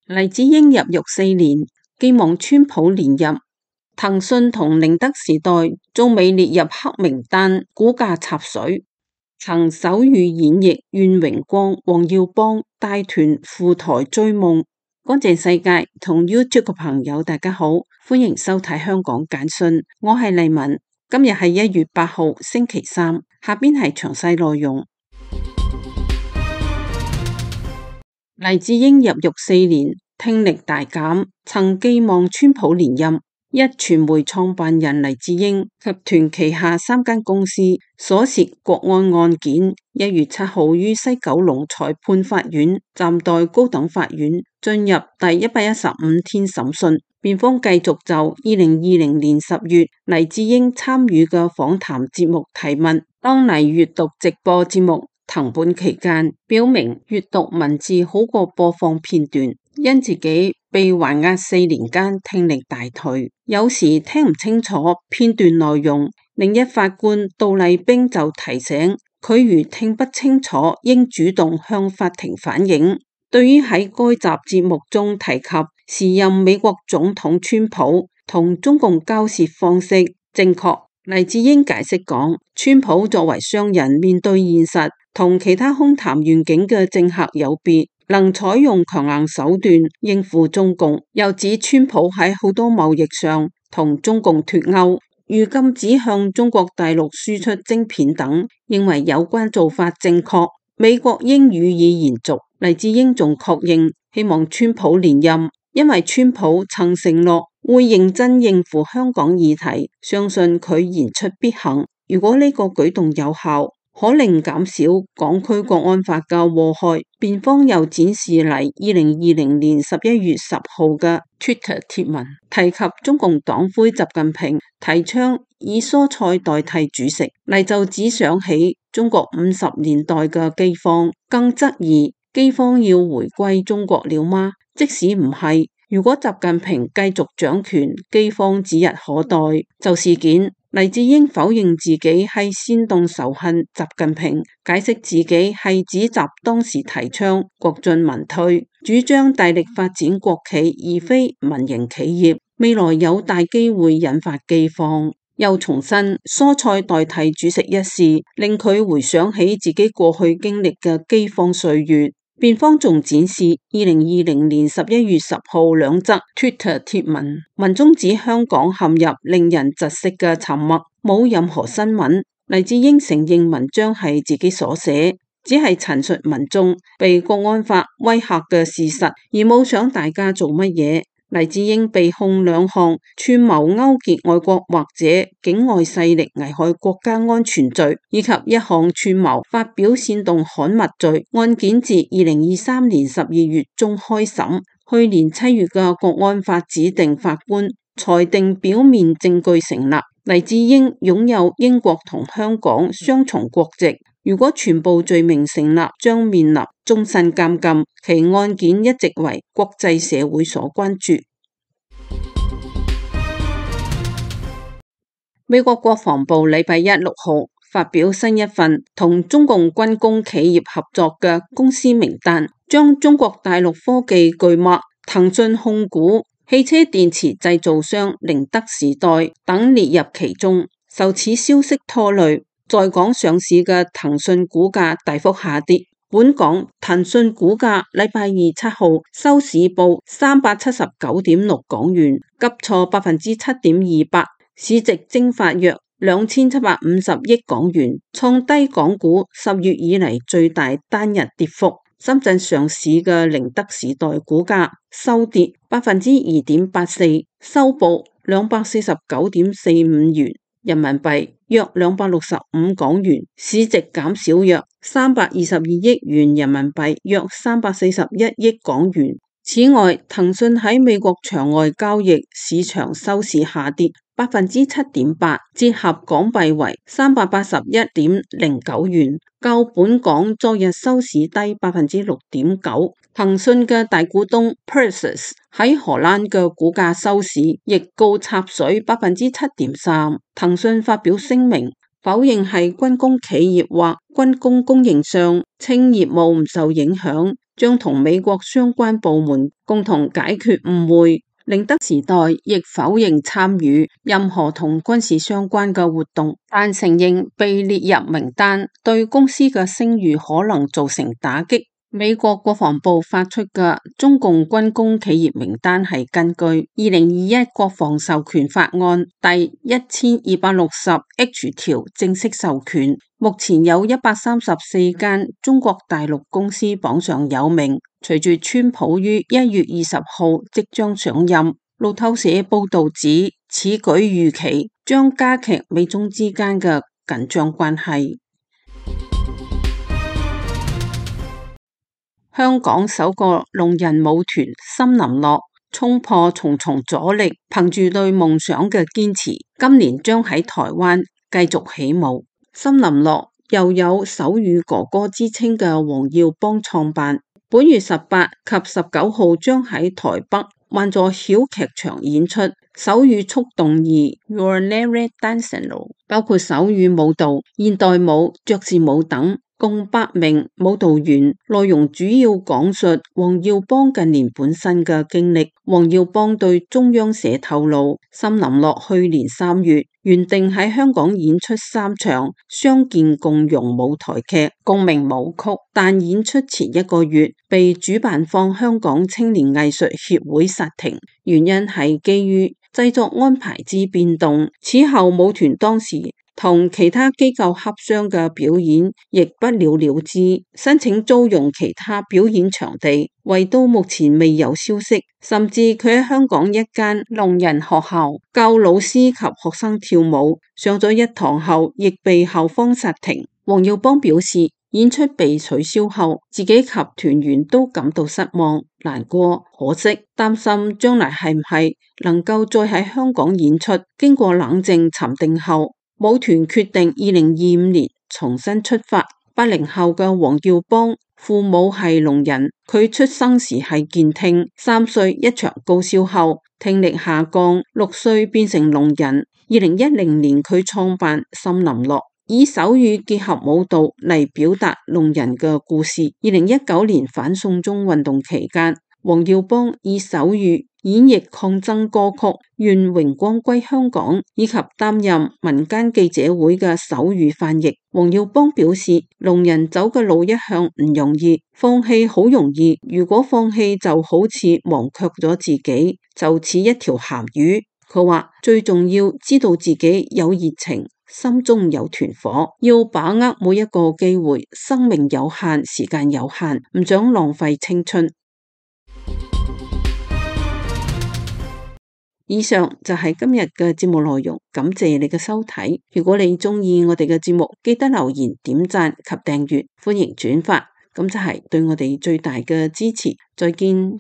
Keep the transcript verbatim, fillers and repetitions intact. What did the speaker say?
黎智英入獄四年，寄望川普連任。騰訊同寧德時代仲未列入黑名單，股價插水。曾手語演繹願榮光、黃耀邦帶團赴台追夢。乾淨世界同 YouTube 嘅朋友大家好，歡迎收睇香港簡訊，我係麗文。今日係一月八號星期三，下邊係詳細內容。黎智英入獄四年，聽力大減，曾寄望川普連任。一傳媒創辦人黎智英集團旗下三間公司所涉國安案件，一月七號於西九龍裁判法院暫代高等法院進入第一百一十五天審訊。辯方繼續就二零二零年十月黎智英參與嘅訪談節目提問。當黎閱讀直播節目藤本期間，表明閱讀文字好過播放片段，因自己被還押四年間聽力大退，有時聽唔清楚片段內容。另一法官杜麗冰就提醒佢，如聽不清楚，應主動向法庭反映。對於喺該集節目中提及時任美國總統川普同中共交涉方式正確，黎智英解釋講，川普作為商人，面對現實同其他空談願景嘅政客有別，能採用強硬手段應付中共。又指川普喺好多貿易上同中共脫鈎，如禁止向中國大陸輸出晶片等，認為有關做法正確，美國應予以延續。黎智英仲確認希望川普連任，因為川普曾承諾會認真應付香港議題，相信佢言出必行。如果呢個舉動有效，可令減少港區國安法嘅禍害。辯方又展示嚟二零二零年十一月十號嘅 Twitter 貼文，提及中共黨魁習近平提倡以蔬菜代替主食，黎就只想起中國五十年代嘅饑荒，更質疑饑荒要回歸中國了嗎？即使唔係，如果習近平繼續掌權，饑荒指日可待。就事件，黎智英否認自己係煽動仇恨習近平，解釋自己係指習當時提倡國進民退，主張大力發展國企而非民營企業，未來有大機會引發饑荒。又重申蔬菜代替主食一事，令佢回想起自己過去經歷嘅饑荒歲月。辯方仲展示二零二零年十一月十號兩則 Twitter 貼文，文中指香港陷入令人窒息嘅沉默，冇任何新聞。黎智英承認文章係自己所寫，只係陳述民眾被國安法威嚇嘅事實，而冇想大家做乜嘢。黎智英被控兩項串謀勾結外國或者境外勢力危害國家安全罪，以及一項串謀發表煽動刊物罪。案件自二零二三年十二月中開審，去年七月嘅國安法指定法官裁定表面證據成立。黎智英擁有英國同香港雙重國籍，如果全部罪名成立，將面臨終身監禁。其案件一直為國際社會所關注。美國國防部禮拜一六號發表新一份同中共軍工企業合作嘅公司名單，將中國大陸科技巨擘騰訊控股、汽車電池製造商寧德時代等列入其中。受此消息拖累，在港上市嘅騰訊股價大幅下跌。本港騰訊股價禮拜二七號收市報三百七十九點六港元，急挫百分之七點二八，市值蒸發約兩千七百五十億港元，創低港股十月以嚟最大單日跌幅。深圳上市嘅寧德時代股價收跌百分之二點八四，收報兩百四十九點四五元人民幣，約兩百六十五港元，市值減少約三百二十二億元人民幣，約三百四十一億港元。此外，騰訊喺美國場外交易市場收市下跌百分之七點八，折合港幣為三百八十一點零九元，較本港昨日收市低百分之六點九。騰訊嘅大股東 Prosus 喺荷蘭嘅股價收市亦告插水百分之七點三。騰訊發表聲明，否認係軍工企業或軍工供應商，稱業務唔受影響，將同美國相關部門共同解決誤會。寧德時代亦否認參與任何同軍事相關嘅活動，但承認被列入名單對公司嘅聲譽可能造成打擊。美國國防部發出嘅中共軍工企業名單係根據二零二一國防授權法案第一千二百六十 H 條正式授權，目前有一百三十四間中國大陸公司榜上有名。隨住川普於一月二十號即將上任，路透社報道指此舉預期將加劇美中之間嘅緊張關係。香港首個聾人舞團森林樂衝破重重阻力，憑住對夢想嘅堅持，今年將喺台灣繼續起舞。森林樂又有手語哥哥之稱嘅黃耀邦創辦，本月十八及十九號將喺台北萬座小劇場演出手語速動二 Your Never Dancing， 包括手語舞蹈、現代舞、爵士舞等。共八名舞蹈員，內容主要講述黃耀邦近年本身嘅經歷。黃耀邦對中央社透露，森林樂去年三月原定喺香港演出三場相見共融舞台劇共鳴舞曲，但演出前一個月被主辦方香港青年藝術協會剎停，原因係基於製作安排之變動。此後舞團當時同其他機構洽商嘅表演亦不了了之，申請租用其他表演場地，為到目前未有消息。甚至佢喺香港一間聾人學校教老師及學生跳舞，上咗一堂後亦被校方剎停。黃耀邦表示，演出被取消後，自己及團員都感到失望、難過、可惜，擔心將來係唔係能夠再喺香港演出。經過冷靜沉定後，舞團決定二零二五年重新出發。八零後嘅黃耀邦父母係聾人，佢出生時係健聽，三歲一場高燒後聽力下降，六歲變成聾人。二零一零年佢創辦森林樂，以手語結合舞蹈嚟表達聾人嘅故事。二零一九年反送中運動期間，黃耀邦以手語演繹抗爭歌曲《願榮光歸香港》，以及擔任民間記者會嘅手語翻譯。黃耀邦表示，聾人走嘅路一向唔容易，放棄好容易，如果放棄就好似忘卻咗自己，就似一條鹹魚。佢話最重要知道自己有熱情，心中有團火，要把握每一個機會，生命有限，時間有限，唔想浪費青春。以上就係今日嘅節目內容，感謝你嘅收睇。如果你鍾意我哋嘅節目，記得留言、點讚及訂閱，歡迎轉發，咁就係對我哋最大嘅支持。再見。